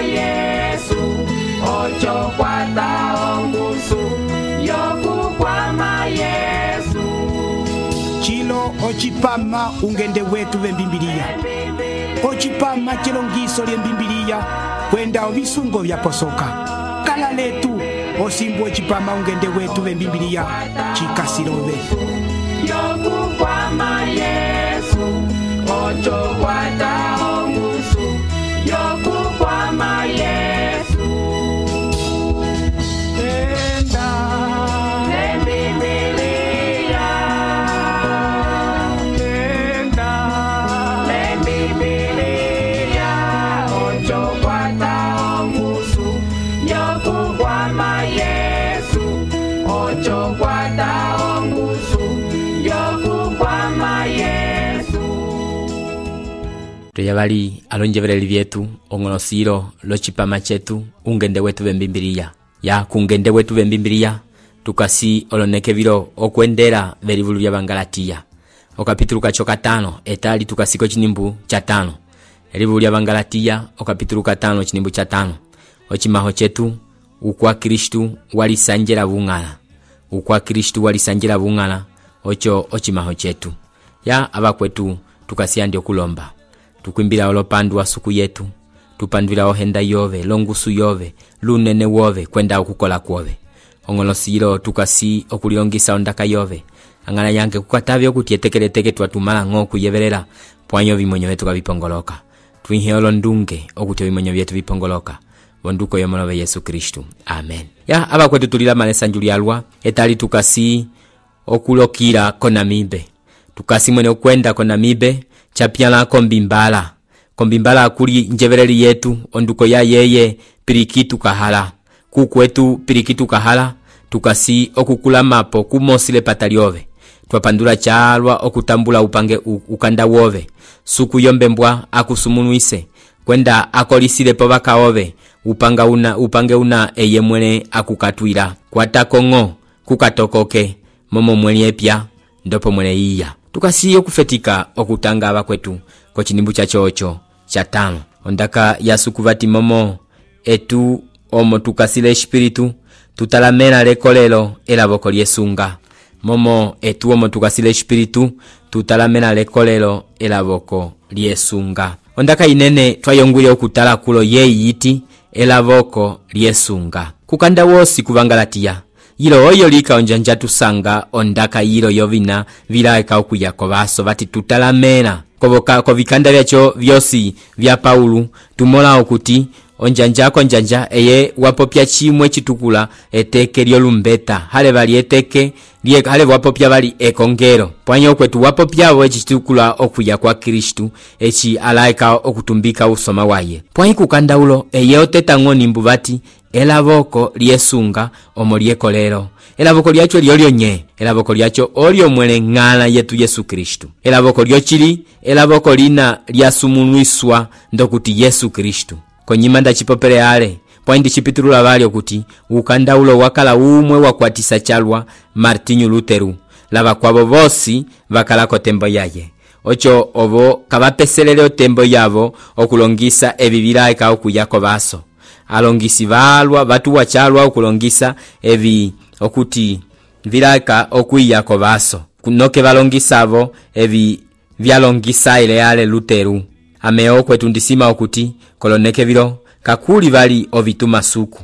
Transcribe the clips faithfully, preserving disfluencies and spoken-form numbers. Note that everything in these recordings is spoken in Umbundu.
Yesu ocho kwata ongusu yokukwama Yesu chilo ochipama ungende wetu vembimbilia ochipama chilongiso lyembimbilia kwenda ovisungo vyaposoka kala letu osimbu ochipama ungende wetu vembimbilia chikasilove yokukwama Yesu ocho kwata ongusu yokukwama Yesu enda lembibilia enda lembibilia ocho kwata ongusu yokukwama Yesu ocho kwata ongusu yokukwama Yesu. Tuyabali alonjevereli vyetu ongolosilo lochipama chetu ungende wetu vembimbilia ya kungende wetu vembimbilia tukasi oloneke vilo okwendera verivulu vya Bangalatia okapitulu kacho katano etali tukasiko chinimbu cha tano erivulu vya Bangalatia okapitulu katano chinimbu cha tano ochimaho chetu ukwa Kristu walisanjela bungala ukwa Kristu walisanjela bungala ocho ochimaho chetu ya abakwetu tukasiandi okulomba tukwimbila olopandu wa suku yetu tupandwila ohenda yove longusu yove lunene wove kwenda okukola kwove ongolosilo tukasi okulilongisa ondaka yove angala yange kukatavyo okuti etekeleteke twatumala ng'o kuyevelela pwanyo vimonyo vyetu kabipongoloka twinhe olondunge okuti vimonyo vyetu vipongoloka bonduko yomolove Yesu Kristu amen ya abakwetu tulila malesa njulialwa etali tukasi okulokira konamibe tukasi mwene okwenda konamibe chapiala kombimbala kombimbala akuli njevereli yetu onduko ya yeye pirikitu kahala kukwetu pirikitu kahala tukasi okukula mapo kumosile pataliove twapandula chalwa okutambula upange ukanda wove suku yombembwa akusumunuise kwenda akolisile po bakaove upanga una upange una eye mwene akukatwila kwatakongo kukatokoke momo mwene epya ndopo mwene iya tukasi okufetika okutanga abakwetu ko chinimbu cha chocho cha tano ondaka yasukuvati momo etu omo tukasile espiritu tutalamena lekolelo elaboko lyesunga momo etu omo tukasile espiritu tutalamena lekolelo elaboko lyesunga ondaka inene twayongwile okutala kulo yeyiti elaboko lyesunga kukanda wosi kuvangalatia yilo oyo lika onjanja tusanga ondaka yilo yovina vilaeka okuyako baso bati tutalamena koboka kovikanda byacho vyosi vya Paulu tumola okuti onjanja ko njanja eye wapopya chimwe chitukula eteke lyolumbeta hale bali eteke liye hale wapopya bali ekongero pwanyo kwetu wapopya bo chitukula okuya kwa Kristu echi alaika okutumbika usoma waye pwanyi kukanda ulo eye oteta ngoni mbubati elaboko lyesunga omolieko lero elaboko lyacho lyolyo nye elaboko lyacho olyo mwele ngala yetu Yesu Kristu elaboko lyochili elaboko lina lyasumunuiswa ndokuti Yesu Kristu konyimanda chipopele ale pwandi chipitulula bali okuti ukanda ulo wakala umwe wakwatisa chalwa Martinho Luteru laba kwabo bosi bakala ko tembo yaye ocho obo kabapeselele otembo yabo okulongisa ebibira eka okuyako baso alongisi balwa batu wachalwa okulongisa ebi okuti vilaka okuyako baso kunoke balongisavo ebi vyalongisa ile yale Luteru ameo kwetu ndisima okuti koloneke vilo kakuli bali ovituma suku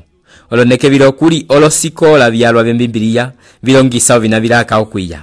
oloneke vilo kuli olosikola byalwa bembibilia vilongisa ovina vilaka okwiya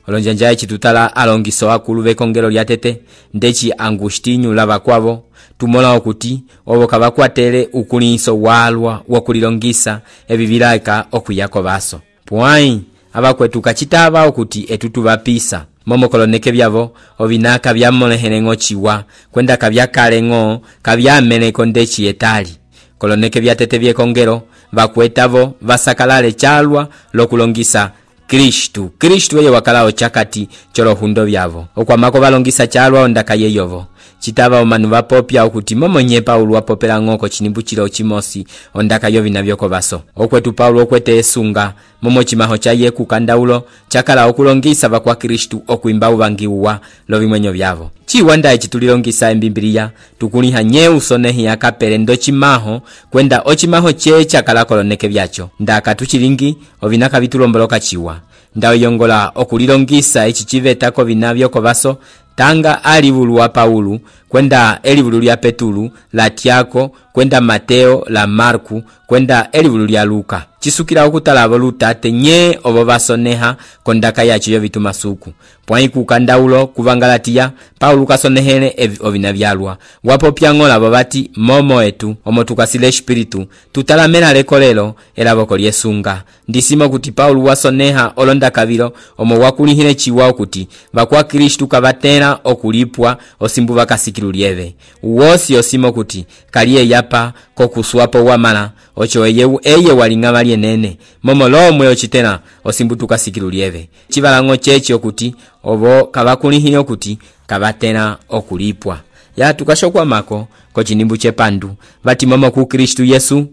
olonjanja chitutala alongiso akulu bekongero lyatete ndechi Angustinho laba kwabo tumola okuti obo kabakwatele ukulinso walwa wokulilongisa ebibilaka okuyako baso pwai abakwetu kachitaba okuti etutu bapisa momo koloneke byabo obinaka byamolehelengo chiwa kwenda kabyakalengo kabyameneko ndechi etali koloneke byatete byekongero bakwetavo basakalale chalwa lokulongisa Kristu Kristu yeye wakalao chakati cholo hundo byavo okwamako balongisa chalwa ondaka yeyovo chitaba omanu bapopya okuti momonye Paulo wapopela ngoko chinimbu chilo chimosi ondaka yovi nabyoko baso okwetu Paulo okwete esunga momo chimaho chaye kukanda ulo chakala okulongisa bakwa Kristu okuimba ubangiwa lovimwenyo byavo chiwa nda eci tulilongisa embimbiliya tukuliha nye usonehi akapele ndo chimaho kwenda ochimaho cheche akalakoloneke byacho ndaka tuchilingi ovinaka bitulomboloka chiwa ndawiyongola okulilongisa eci chivetako vinavyo kovaso tanga alivulu wa Paulu kwenda elivulu lya Petulu la Tiago kwenda Mateo la Marku kwenda elivulu lya Luka chisukila okutalabo lutate nye obo basoneha kondaka yacho yo bitumasuku pwai kukandaulo kuvangalatiya Paulu kasonehele ovina byalwa wapo pyangola babati momo etu omo tukasile espiritu tutalamela lekolelo elaboko lyesunga ndisimo kuti Paulu wasoneha olonda kabilo omo wakulihile chiwa kuti bakwa Kristu kabatera okulipwa osimbu bakasikilu lyeve uwosi osimo kuti kaliye yapa kokuswapo wamala ocho eye eye walinga bali enene momo lomwe ochitena osimbu tukasikilu lyeve chibalango chechi okuti obo kabakulihile okuti kabatera okulipwa ya tukashokwa mako ko chinimbu chepandu bati momo ku Kristu Yesu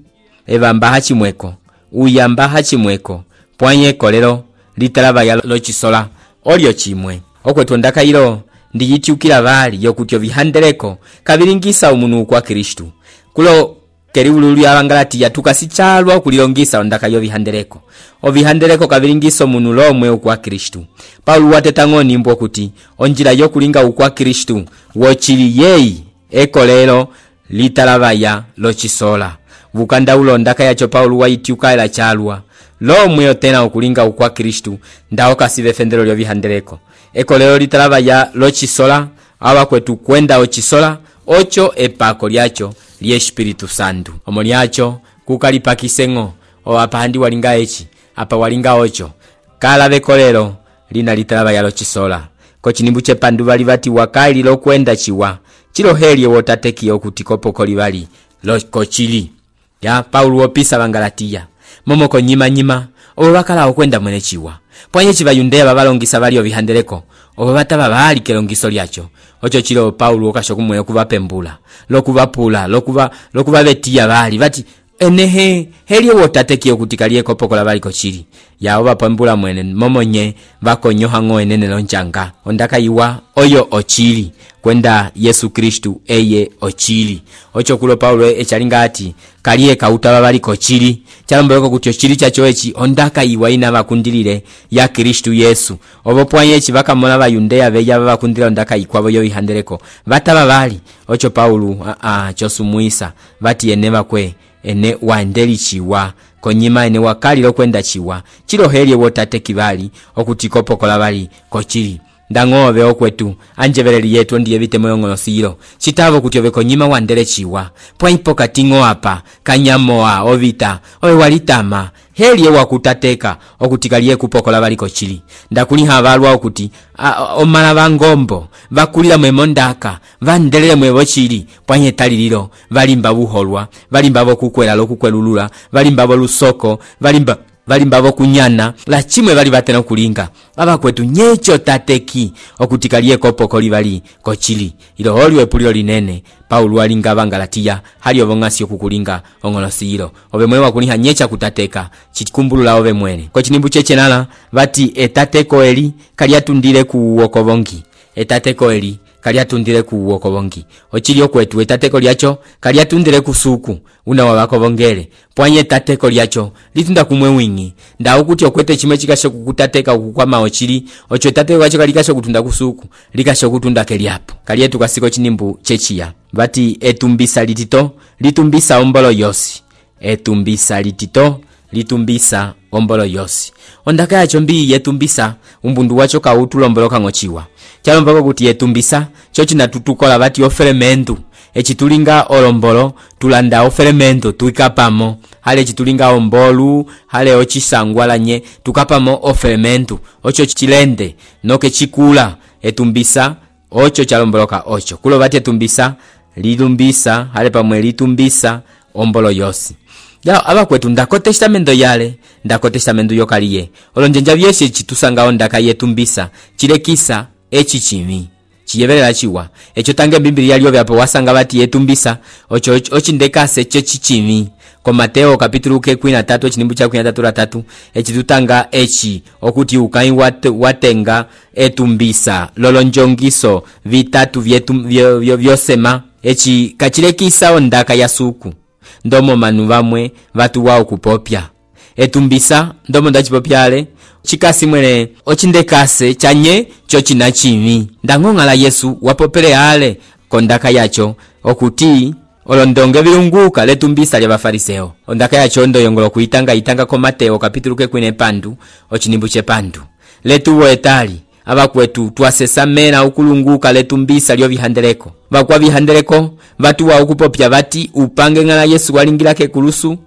ebamba hachimweko uyamba hachimweko pwanye kolero litalaba ya lochisola olyo chimwe okwetu ndakailo ndiyitiukila bali yokutyo bihandeleko kabiringisa umunu kwa Kristu kulo keriwulu ya Bangalatiya tukasichalwa okulilongisa ondaka yo bihandeleko obihandeleko kabiringisa umunu lomwe ukwa Kristu Paulo watetango nimbo kuti onjira yo kulinga ukwa Kristu wochili yeyi ekolero litalabaya lochisola bukanda ulondaka yacho Paulo waitiuka ila chalwa lomwe otena okulinga ukwa Kristu ndao kasibe fendero lyo bihandeleko ekolero litalabaya lochisola aba kwetu kwenda ochisola ocho epako lyacho lye Espiritu Santu omo lyacho kukalipakisengo o apandi walinga echi apa walinga ocho kala bekolero lina litalabaya lochisola ko chinimbu chepandu bali bati wakali lokwenda chiwa chilo helye wotateki okutikopo kolibali lokochili ya Paulo opisa Bangalatiya momoko nyima nyima obo bakala okwenda mwene chiwa pwanye chibayundeya babalongisa bali obihandeleko obo bataba bali kelongiso lyacho ocho chilo Paulo okashokumwe okubapembula lokubapula lokuba lokuba betiya bali bati enehe helye wotateki okutikalie kopokola bali kochili ya oba pembula mwene momonye bakonyoha ngo enene lonchanga ondaka iwa oyo ochili kwenda Yesu Kristu eye ochili ocho kulo Paulo echalinga ati kaliye kautaba bali kochili chalomboleko kuti ochili chacho echi ondaka iwa ina bakundilire ya Kristu Yesu obo pwanye echi bakamona bayundeya beya bakundira ondaka ikwabo yo bihandeleko bataba bali ocho Paulo a a chosumuisa bati eneba kwe ene waendeli chiwa konyima ene wakali lokwenda chiwa chilo helye wotate kibali okutikopokola bali kochili ndangobe okwetu anjebereli yetu ndiye bitemo yongolosiro chitabo kutyo konyima wandele chiwa pwaipo katingo apa kanyamoa ovita owe walitama helye wakutateka okutikalie kupokola bali kochili ndakuliha abalwa okuti omala bangombo bakulira mwemondaka vandelele mwebo chili pwanye talililo balimba buholwa balimba bokukwela lokukwelulula balimba bolusoko balimba balimba bokunyana la chimwe bali batena kulinga baba kwetu nyecho tateki okutikalie kopokoli bali kochili ilo holiwe pulilo linene Paulo alinga Bangalatiya hali obongasi okukulinga ongolosiro obe mwewa kuliha nyecha kutateka chikumbulula obe mwene ko chinimbu cheche nala bati etateko eli kaliatundile ku wokobongi etateko eli kaliatundile ku wokobongi ochili okwetu etateko lyacho kaliatundile kusuku una wabakobongele pwanye etateko lyacho litunda kumwe wingi nda ukuti okwete chimwe chikasho kukutateka ukukwama ochili ocho etateko lyacho kalikasho kutunda kusuku likasho kutunda keliapo kalietu kasiko chinimbu chechiya bati etumbisa litito litumbisa ombolo yosi etumbisa litito litumbisa ombolo yosi ondaka yacho mbi yetumbisa umbundu wacho kautulomboloka ngochiwa chalombako kuti yetumbisa chochi natutukola bati oferemento echitulinga olombolo tulanda oferemento tuikapamo hale chitulinga ombolu hale ochisangwalanye tukapamo oferemento ocho chilende noke chikula etumbisa ocho chalomboloka ocho kulo bati etumbisa lilumbisa hale pamwe litumbisa ombolo yosi ya aba kwetu ndako testamento yale ndako testamento yokaliye olonjenja byeshe chitusanga ondaka yetumbisa chilekisa echi chimi chiyeberera chiwa echo tange Biblia yalyo byapo wasanga bati yetumbisa ocho ochi ndekase echo chichimi ko Mateo kapitulu ke kumi na tatu chinimbu cha kumi na tatu ratatu eci tutanga eci okuti ukai wat, watenga etumbisa lolonjongiso vitatu vyetu vyo, vyo, vyosema eci kachilekisa ondaka ya suku ndomo manu vamwe vatu wao kupopya etumbisa ndomo ndachipopyale chikasi mwene ochindekase chanye cho china chimi ndang'ong'ala Yesu wapopele ale kondaka yacho okuti olondonge vilunguka letumbisa lya bafariseo ondaka yacho ndo yongolo kuitanga itanga ko Mateo kapitulu ke kwine pandu ochinimbu che pandu letuwo etali abakwetu twasesamena ukulunguka letumbisa lyo bihandeleko bakwa bihandeleko batu wa ukupopya bati upange ngala Yesu walingilake kulusu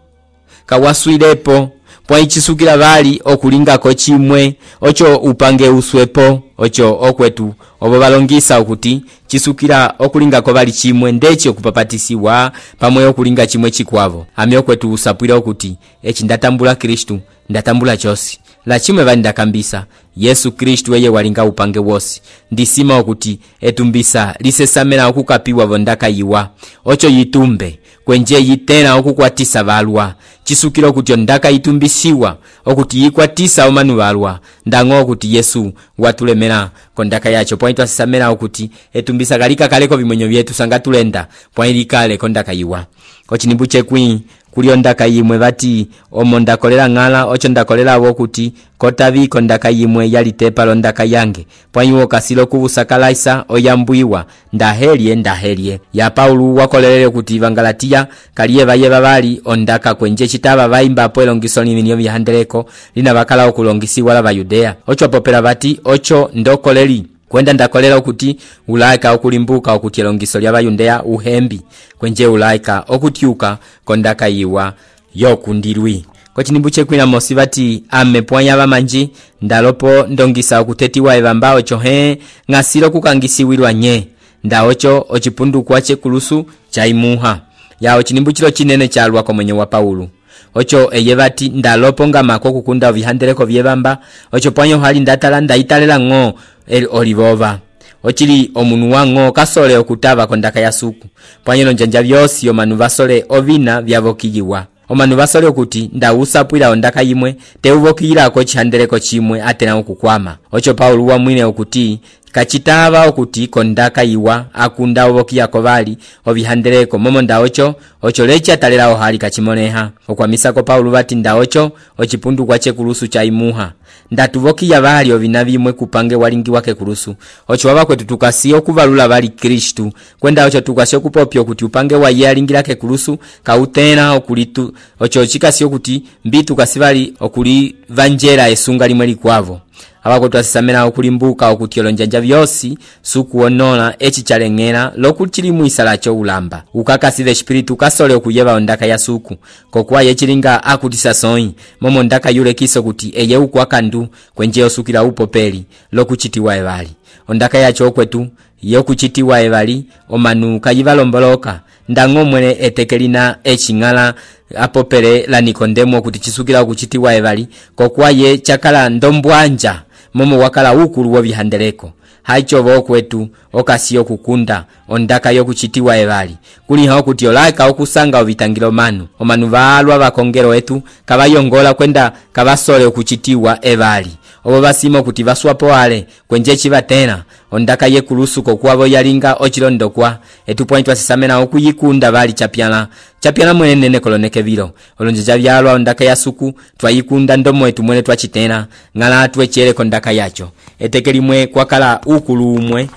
kawaswilepo pwa ichisukila bali okulingako chimwe ocho upange uswepo ocho okwetu obo balongisa okuti chisukila okulingako bali chimwe ndechi okupapatisiwa pamwe okulinga chimwe chikwavo ami okwetu usapwila okuti echi ndatambula Kristu ndatambula chosi la chimwe bali ndakambisa Yesu Kristu eye walinga upange wosi ndisima okuti etumbisa lisesamena okukapiwa vondaka yiwa ocho yitumbe kwenje yitena okukwatisa balwa chisukila okuti ondaka itumbisiwa okuti yikwatisa omanu balwa ndango okuti Yesu watulemera kondaka yacho pointu asesamena okuti etumbisa galika kaleko bimwenyo byetu sanga tulenda pointi kale kondaka yiwa ochinimbu chekwi kuli ondaka yimwe bati omonda kolera ngala ocho ndakolera abokuti kotabi kondaka yimwe yalitepa londaka yange pwanyiwo kasilo kubusakalaisa oyambuiwa ndahelie ndahelie ya Paulo wakolelele kuti Evangalatia kaliye baye babali ondaka kwenje chitaba baimba po elongiso liminyo bihandeleko lina bakala okulongisiwa la Bayudea ocho popera bati ocho ndokoleri kwenda ndakolera okuti ulaika okulimbuka okuti elongiso lya Bayudea uhembi kwenje ulaika okutiuka kondaka yiwa yokundirwi ko chinimbu chekwina mosi bati amepwanya bamanji ndalopo ndongisa okutetiwa ebambao chohe ngasilo kukangisiwirwa nye ndaocho ochipundu kwache kulusu chaimuha yao chinimbu chilo chinene chalwa ko mwenye wa Paulo ocho eyebati ndalopo ngamako kukunda vihandeleko vyebamba ocho pwanyo hali ndatala ndaitalela ngo el olivova ochili omunu wango kasole okutaba kondaka ya suku pwanyo njanja byosi omanu basole ovina byavokiyiwa omanu basole okuti ndawusapwira ondaka yimwe teuvokira ko chihandeleko chimwe atena okukwama ocho Paulo wa mwine okuti kachitaba okuti kondaka yiwa akunda obokia kobali obihandeleko momo ndaocho ocho lecha talera ohali kachimoneha okwamisa ko Paulo bati ndaocho ochipundu kwache kulusu cha imuha ndatubokia bali obinabimwe kupange walingi wake kulusu ocho wabakwetu tukasi okuvalula bali Kristu kwenda ocho tukasi okupopyo kuti upange wa yalingirake kulusu kautena okulitu ocho chikasi okuti mbitu kasibali okuli vanjera esunga limwe likwavo abakwetu asisamena okulimbuka okutiolo njanja byosi sukuonona echi chalengera lokuchili muisala cho ulamba ukakasile espiritu kasole okuyeba ondaka ya suku kokwa yechilinga akutisa soi momo ndaka yule kiso kuti eye ukwakandu kwenje osukira upopeli lokuchitiwa ebali ondaka yacho okwetu yokuchitiwa ebali omanu kayivalomboloka ndango mwene etekelina echingala apopele la Nikodemo kuti chisukira okuchitiwa ebali kokwa ye chakala ndombwanja momo wakala ukulu wa bihandeleko haicho bokwetu okasiyo kukunda ondaka yokuchitiwa ebali kuli hao kuti olaika okusanga obitangiro manu omanu balwa bakongero etu kabayongola kwenda kabasole okuchitiwa ebali obo basimo kuti baswapo ale kwenje chibatena ondaka yekulusu kokwabo yalinga ochilondokwa etu pointu asisamena okuyikunda bali chapyala chapyala mwene nene koloneke biro olonje jabyalwa ondaka ya suku twayikunda ndomo etu mwene twachitena ngala twechere kondaka yacho etekelimwe kwakala ukulumwe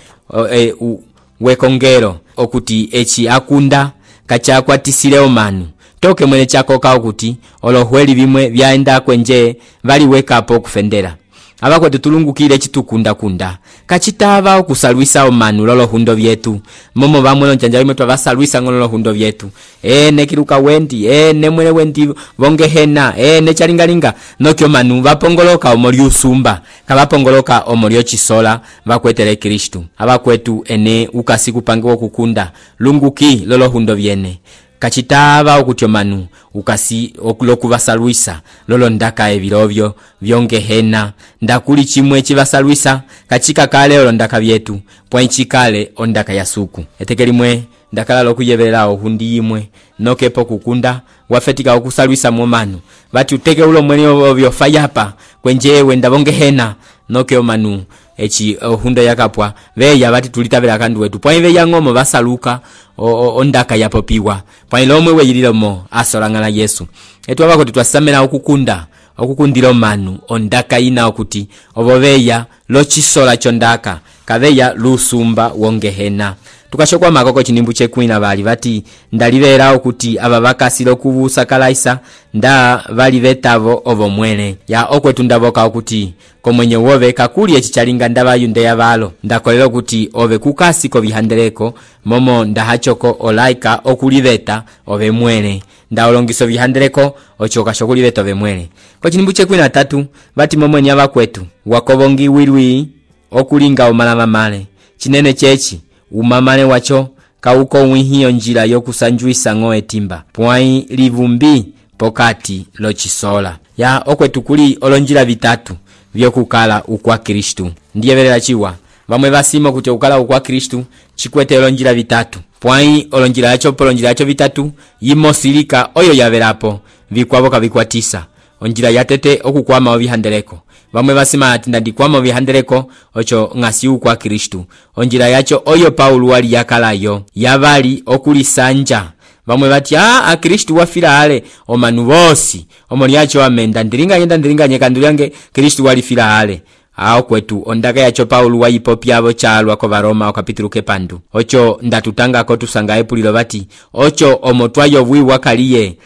e, u, wekongero okuti echi akunda kachakwa tisileo manu toke mwene chako kao kuti olohweli bimwe byaenda kwenje bali wekapo kufendera abakwe tutulungukire chitukunda kunda kachitaba okusalwisa omanu lolo hundo byetu momo bamwe njanja bimwe twabasalwisa ngolo hundo byetu e nekiruka wendi e nemwele wendi bongehena e nechalingalinga nokyo manu bapongoloka omori usumba kabapongoloka omori chisola bakwetele Kristu abakwetu ene ukasi kupange okukunda lunguki lolo hundo byene kachitaba okutyo manu ukasi okulokubasalwisa lolo ndaka ebirovyo byongehena ndakuli chimwe chibasalwisa kachika kale lolo ndaka byetu poinchi kale ondaka ya suku etekelimwe ndakala lokuyevelela ohundi imwe nokepo kukunda wafetika okusalwisa momanu bati uteke ulo mwene ovyo fayapa kwenje wenda bongehena noke omanu echi ohunda yakapwa veya bati tulitabela kandu wetu pwa ive yangomo basaluka ondaka yapopiwa pwa ilomwe weyililomo asolangana Yesu etu abako twasamela okukunda okukundira manu ondaka ina okuti oboveya lochisola chondaka kaveya lusumba wongehena tukashokwa makoko chinimbu chekwina bali bati ndalivera okuti aba bakasilo kubusa kalaisa nda bali betavo ovo mwene ya okwetu ndaboka okuti komwenye wove kakuli echichalinga ndabayunde yabalo ndakolera okuti ove kukasi ko bihandeleko momo ndahachoko olaika okuliveta ove mwene ndaolongiso bihandeleko ochoka shokuliveta ove mwene ko chinimbu chekwina tatu bati momo nyaba kwetu wakobongi wirwi okulinga omalama male chinene chechi umamane wacho kauko wihiyo njira yokusanjuisa ngoe timba pwai livumbi pokati lochisola ya okwetu kuli olonjira vitatu vyokukala ukwa Kristu ndiye velela chiwa bamwe basimo kuti ukala ukwa Kristu chikwete olonjira vitatu pwai olonjira yacho polonjira yacho vitatu yimosilika oyo yavelapo vikwaboka vikwatisa onjira yatete okukwama obihandeleko bamwe basima ati ndikwama obihandeleko ocho ngasi ukwa Kristu onjira yacho oyo Paulo wali yakalayo yabali okulisanja bamwe bati ah a Kristu wafira ale omanu bosi omoni yacho amenda ndiringa yenda ndiringa nyekandulyange Kristu wali fira ale aho kwetu ondaka yacho Paulo wayipopyabo chalwa ko Baroma okapitulu kepandu ocho ndatutanga ko tusanga epulilo bati ocho omotwayo bwiwa kaliye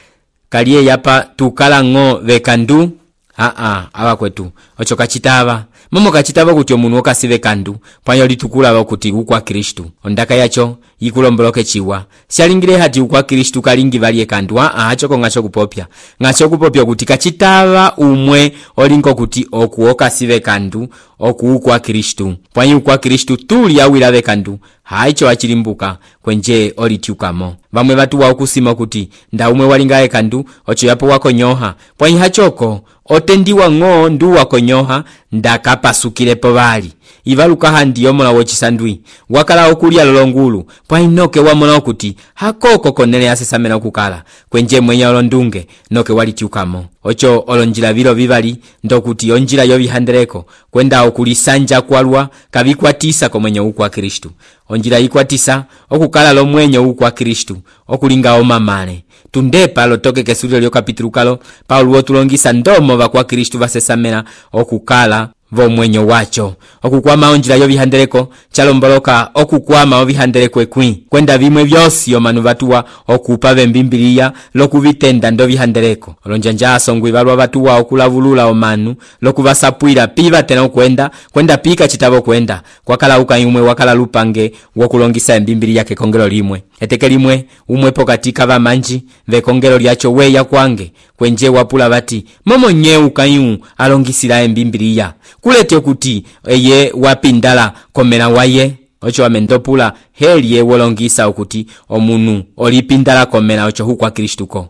kaliye yapa tukala ngo vekandu a a aba kwetu ocho kachitaba momo kachitaba kuti omuntu okasibe kandu pwanyo litukula kuti ukwa Kristu ondaka yacho yikulomboloke chiwa shalingire hati ukwa Kristu kalingi bali kandu a a acho ngacho kupopya ngacho kupopya kuti kachitaba umwe olinko kuti okuoka sibe kandu okuukwa Kristu pwanyo ukwa Kristu tuli awira bekandu haicho achilimbuka kwenje olityukamo bamwe batu wa okusima kuti nda umwe walingaye kandu ocho yapo wako nyoha pwanyo hachoko otendiwa ngo ndu wako nyoha ndakapasukilepo bali ivaluka handi yomola wochisandwi wakala okulia lolongulu pwa inoke wamona okuti hakoko konele asesamena okukala kwenje mwenya olondunge noke walityukamo ocho olonjira biro bibali ndokuti onjira yobihandeleko kwenda okulisanja kwalwa kabikwatisa komwenye ukwa Kristu onjira ikwatisa okukala lo mwenye ukwa Kristu okulinga omamale tundepa lotoke kesulio lyo kapitulu kalo Paulo wotulongisa ndomo bakwa Kristu basesamena okukala vo mwenyo wacho okukwama onjira yobihandeleko chalomboloka okukwama obihandeleko ekwi kwenda bimwe byosi omanu batuwa okupa bembimbiliya lokubitenda ndo bihandeleko olonjanja asongwe balwa batuwa okulavulula omanu lokubasapwira piba tena okwenda kwenda pika chitabo kwenda kwakala ukayumwe wakala lupange wokulongisa embimbiliya ke kongelo limwe eteke limwe umwe pokatika bamanji ve kongelo lyacho weya kwange kwenje wapula bati momo nye ukayu alongisira embimbiliya kulete kuti eye wapindala komera waye ocho amendopula heliye wolongisa okuti omunu olipindala komera ocho hukwa Kristuko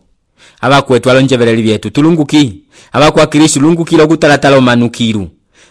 abakwetu alonjevereli byetu tulunguki abakwa Kristu lungukilo okutalatala omanukiru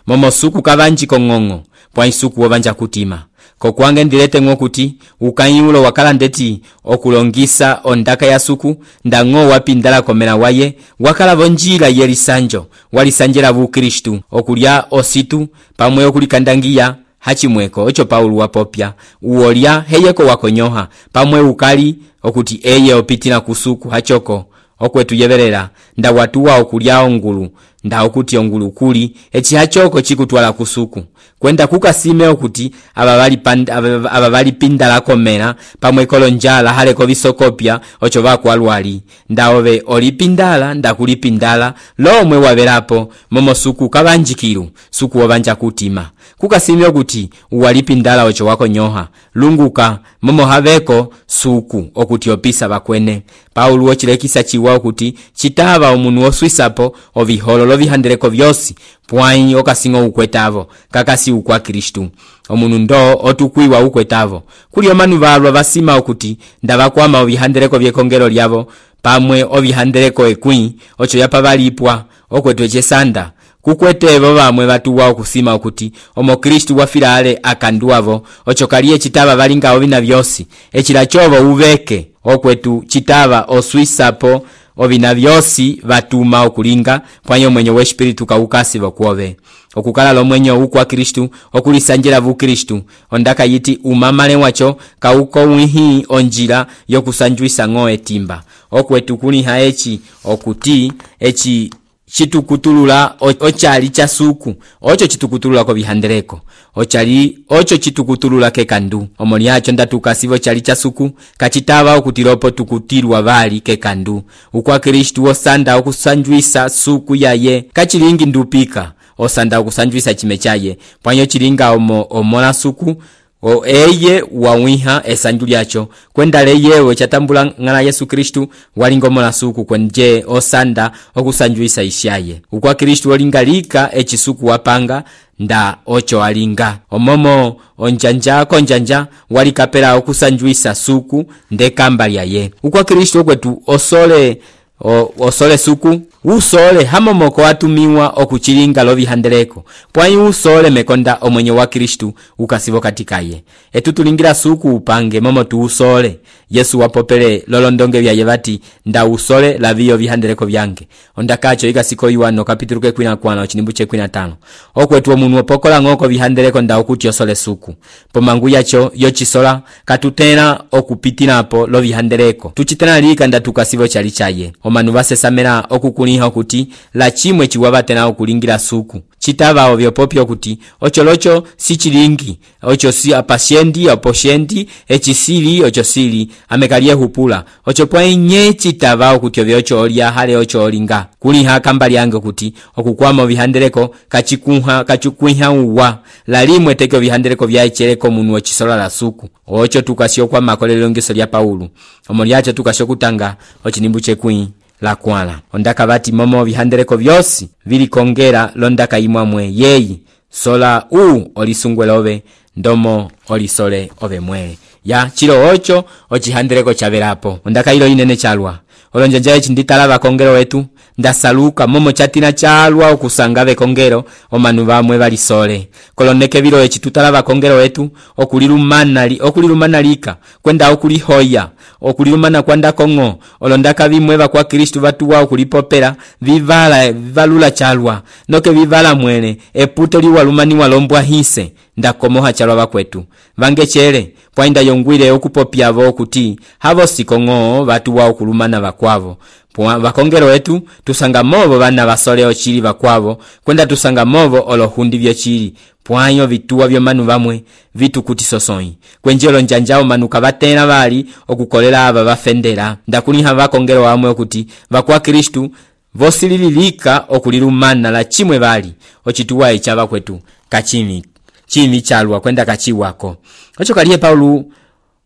momosuku kabanji kongongo pwa isuku wobanja kutima kokwange ndirete ngokuti ukanyulo wakala ndeti okulongisa ondaka ya suku ndango wapindala komera waye wakala bonjira yelisanjo walisanjera bu Kristu okulya ositu pamwe okulikandangia hachimweko ocho Paulo wapopya uolya heyeko wakonyoha pamwe ukali okuti eye opitira kusuku hachoko okwetu yeberera nda watuwa okulya ongulu nda okuti ongulu kuli echi hachoko chikutwala kusuku kwenda kukasime okuti ababali panda ababali pindala komera pamwe kolonjala haleko bisokopya ocho bakwalwali ndaobe olipindala ndakulipindala lomwe waberapo momo suku kabanjikiru suku wabanja kutima kukasime okuti uwalipindala ocho wako nyoha lunguka momo habeko suku okuti opisa bakwene Paulo ochilekisa chiwa okuti chitaba omunu oswisapo obiholo bihandeleko byosi pwai okasingo ukwetavo kakasi ukwa Kristu omunu ndo otukwiwa ukwetavo kuli omanu balwa basima okuti ndabakwama obihandeleko byekongero lyabo pamwe obihandeleko ekwi ocho yapa balipwa okwetwe chesanda kukwete ebo bamwe batuwa okusima okuti omo Kristu wafira ale akandu abo ocho kaliye chitaba balinga obina byosi echila chobo ubeke okwetu chitaba oswisapo obina byosi batuma okulinga pwanyo mwenye we espiritu kaukasi bakwobe okukala lo mwenye ukwa Kristu okulisanjira bu Kristu ondaka yiti umamale wacho kauko wihi onjira yokusanjwisa ngoe timba okwetu kuli haechi okuti echi chitukutulula ochali cha suku ocho chitukutulula ko bihandereko ochali ocho chitukutulula ke kandu omoli acho ndatukasibo chali cha suku kachitaba okutiropo tukutirwa bali ke kandu ukwa Kristu osanda okusanjwisa suku yaye kachilingi ndupika osanda okusanjwisa chime chaye pwanyo chilinga omo omola suku o eye wawiha esanju lyacho kwenda leyewe chatambula ngala Yesu Kristu walingomola suku kwenje osanda okusanjwisa ishaye ukwa Kristu olingalika echisuku wapanga nda ocho alinga omomo onjanja konjanja walikapela okusanjwisa suku ndekamba lyaye ukwa Kristu okwetu osole o, osole suku usole hamomoko watumiwa okuchilinga lo bihandereko pwanyi usole mekonda omwenye wa Kristu ukasibo katikaye etutulingira suku upange momo tu usole Yesu wapopele lolondonge bya yebati nda usole la biyo bihandereko byange ondakacho igasiko Yohana kapitulu ke kwina kwana chinimbuche kwina tano okwetu omunwe pokola ngoko bihandereko nda okuti osole suku pomangu yacho yo chisola katutena okupitinapo lo bihandereko tuchitena lika nda tukasibo chali chaye omanu basesamera okukuni okuti la chimwe chiwabatena okulingira suku chitaba obyo popyo okuti ocholocho si chilingi ocho si apasiendi aposiendi echisili ocho sili amekalie hupula ocho pwenye chitaba okuti obyo ocho olia hale ocho olinga kuli hakamba lyange okuti okukwama bihandereko kachikunha kachukwiha uwa la limwe teke bihandereko byaicheleko munwe chisola la suku ocho tukasio kwa makolelo ngeso lya Paulo omoliacho tukasio kutanga ochinimbuche kwin la kwala ondaka bati momo bihandereko byosi vili kongera londaka imwamwe yeyi sola u olisungwelobe ndomo olisole obe mwele ya chilo ocho ochihandereko chaberapo ondaka ilo inene chalwa olonjanja echi nditalaba kongero wetu ndasaluka momo chatina chalwa okusangabe kongero omanu bamwe balisole koloneke biro echi tutalaba kongero wetu okulilumana li okulilumana lika kwenda okulihoya okulilumana kwanda kongo olondaka bimwe bakwa Kristu batuwa okulipopera vivala vivalula chalwa noke vivala mwene eputo liwalumani walombwa hise ndakomoha chalwa bakwetu bange chele pwainda yongwire okupopya abo okuti habo sikongo batuwa okulumana bakwavo bakongero wetu tusanga mobo bana basole ochili bakwavo kwenda tusanga mobo olohundi byo chili pwanyo vituwa byo manu bamwe vitu kuti sosoi kwenjelo njanjao manu kabatena bali okukolera aba bafendera ndakuliha bakongero bamwe okuti bakwa Kristu vosililika okulilumana la chimwe bali ochituwa ichaba kwetu kachimi chimi chalwa kwenda kachiwako ocho kaliye Paulo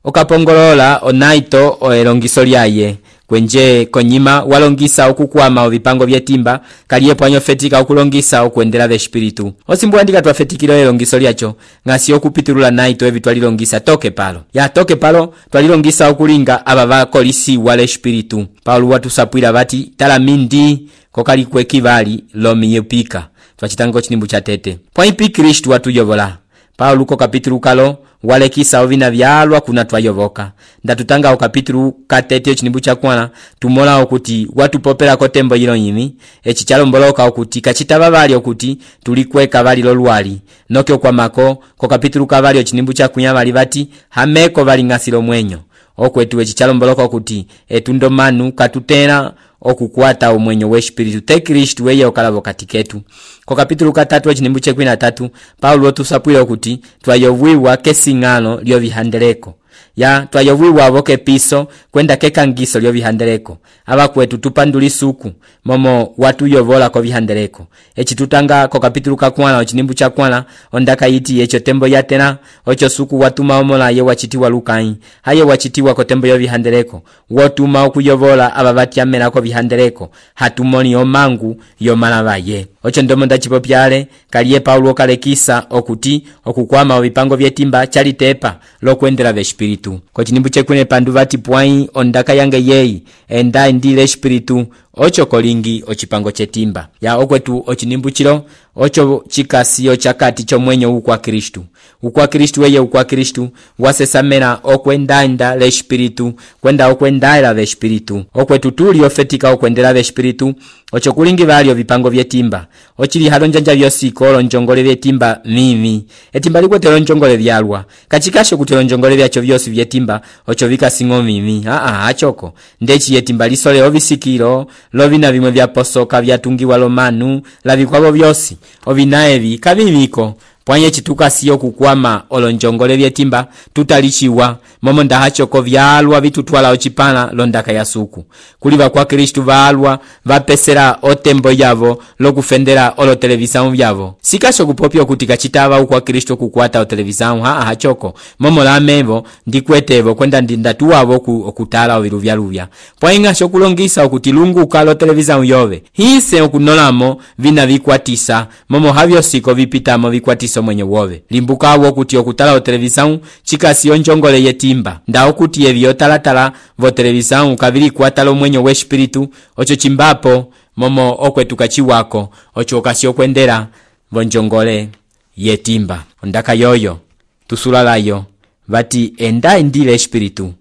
okapongolola onaito oelongiso lyaye kwenje konyima walongisa okukwama obipango byetimba kaliye pwanyo fetika okulongisa okuendera be espiritu osimbu andika twafetikiro elongiso lyacho ngasi okupitulula naito ebitwalilongisa toke palo ya toke palo twalilongisa okulinga ababa kolisi wale espiritu Paulo watusapwira bati talamindi kokali kwekibali lomiyepika twachitango chinimbu cha tete pwaipi Kristu watuyobola Paulo ko kapitulu kalo walekisa ovina byalwa kuna twayoboka ndatutanga okapitulu katete chinimbu cha kwana tumola okuti watu popera ko tembo yilo yimi echi chalomboloka okuti kachitaba bali okuti tulikweka bali lolwali noke kwa mako ko kapitulu kabali chinimbu cha kunya bali bati hameko bali ngasilo mwenyo okwetu echi chalomboloka okuti etundo manu katutena okukwata omwenyo we espiritu te Kristu weye okalabo katiketu ko kapitulu katatu chinimbu che kwina tatu Paulo otusapwira okuti twayobwiwa kesingano lyo bihandereko ya twayobwiwa aboke piso kwenda kekangiso lyo bihandereko abakwetu tupanduli suku momo watu yobola ko bihandereko echi tutanga ko kapitulu kakwana chinimbu cha kwana ondaka yiti echo tembo yatena ocho suku watuma omola ye wachitiwa Lukai haye wachitiwa ko tembo yo bihandereko wotuma okuyobola ababati amena ko bihandereko hatumoni omangu yo malabaye ocho ndomo ndacipopyale kaliye Paulo kalekisa okuti okukwama ovipango vyetimba chalitepa lokwendela vespiritu kocinimbu chekwene pandu vati pwai ondaka yange yeyi enda indile espiritu ocho kolingi ocipango chetimba ya okwetu ocinimbu chilo ocho chikasiyo chakati chomwenyo ukwa Kristu ukwa Kristu weye ukwa Kristu wasesamela okwendaenda le espiritu kwenda okwendaela ve espiritu okwetu tuli ofetika okwendela ve espiritu ocho kulingi valio vipango vyetimba ochili halonjanja vyosiko olonjongole vyetimba mimi etimba likwetelo njongole vyalwa kachikasho kutelo njongole vyacho vyosi vyetimba ocho vikasingo mimi aa achoko ndechi yetimba lisole ovisikilo lovina vimwe vyaposoka vyatungiwa lomanu lavikwavo vyosi ovinaevi kaviviko pwanye chitukasiyo kukwama olonjongole vyetimba tutalichiwa momo ndahachoko vyalwa vitutwala ochipala londaka ya suku kuliva kwa Kristu valwa vapesera otembo yavo lokufendera olo televisamu vyavo sikasho kupopyo kutika chitava ukwa Kristu kukwata o televisamu haa hachoko momo lamevo ndikwetevo kwenda ndindatuwavo okutala oviluvya luvya pwainga shokulongisa okutilunguka lo televisamu yove hise okunolamo vina vikwatisa momo havyo siko vipitamo vikwatisa mwenye wove limbuka wo kuti okutala o televisamu chikasi onjongole yetimba nda okuti evyo talatala vo televisamu kavili kwatalo mwenye we espiritu ocho chimbapo momo okwetuka chiwako ocho okasi okwendera vo njongole yetimba ondaka yoyo tusulalayo vati enda indile espiritu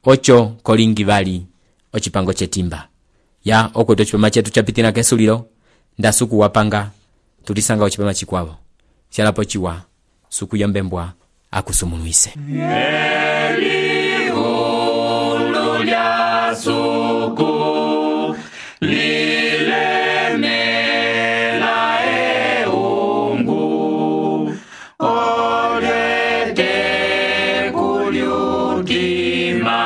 ocho kolingi vali ochipango chetimba ya okwetu chipama chetu chapitina kesulilo ndasuku wapanga tulisanga ochipama chikwavo sialapo chiwa suku yombembwa akusumunuise Eliulu lya suku lilemela eungu olete kulyutima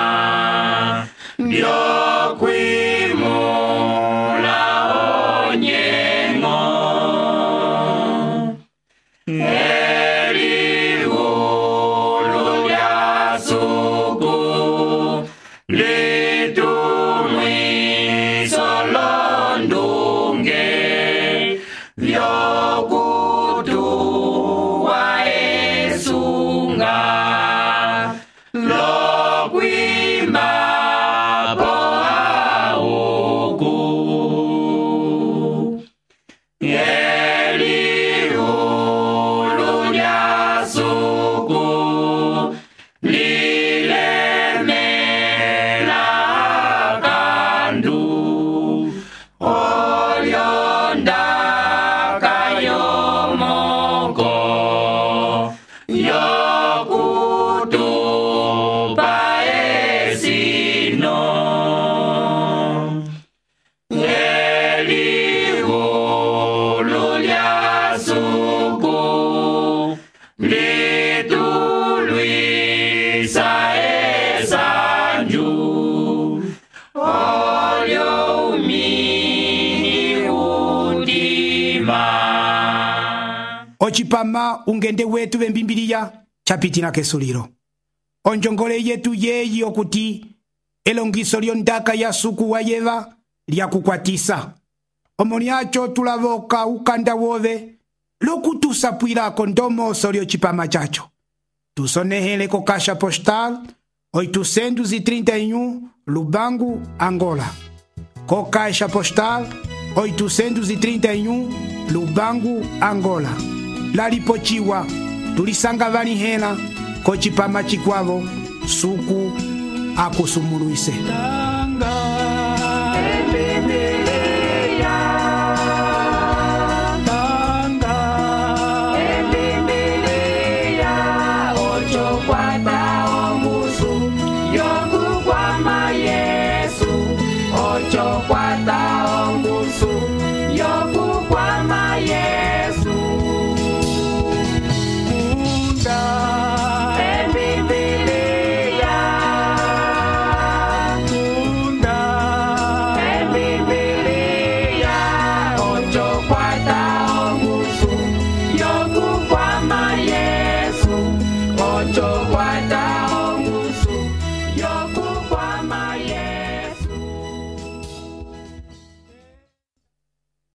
byokwimula onyengo Eliulu lya suku litumwiso londunge vyokutuwa esunga lokwimba po auku Eliulu lya suku lilemela kandu olyondaka yomoko yokutupa esino Eliulu lya suku litulwisa esanju olyo umini udima ochipama ungende wetu vembimbiliya chapitina kesulilo onjongole yetu yeyi okuti elongiso lyondaka ya suku wa yeva lyakukwatisa omoni acho tulavoka ukanda wove lokutusapwilako ndomoso lyocipama chacho tusonehele ko caixa postal oitocentos e trinta e um Lubango, Angola. Co caixa postal oitocentos e trinta e um Lubango, Angola. Lalipochiwa tulisanga vali hela ko chipama chikwavo suku akusumuluise.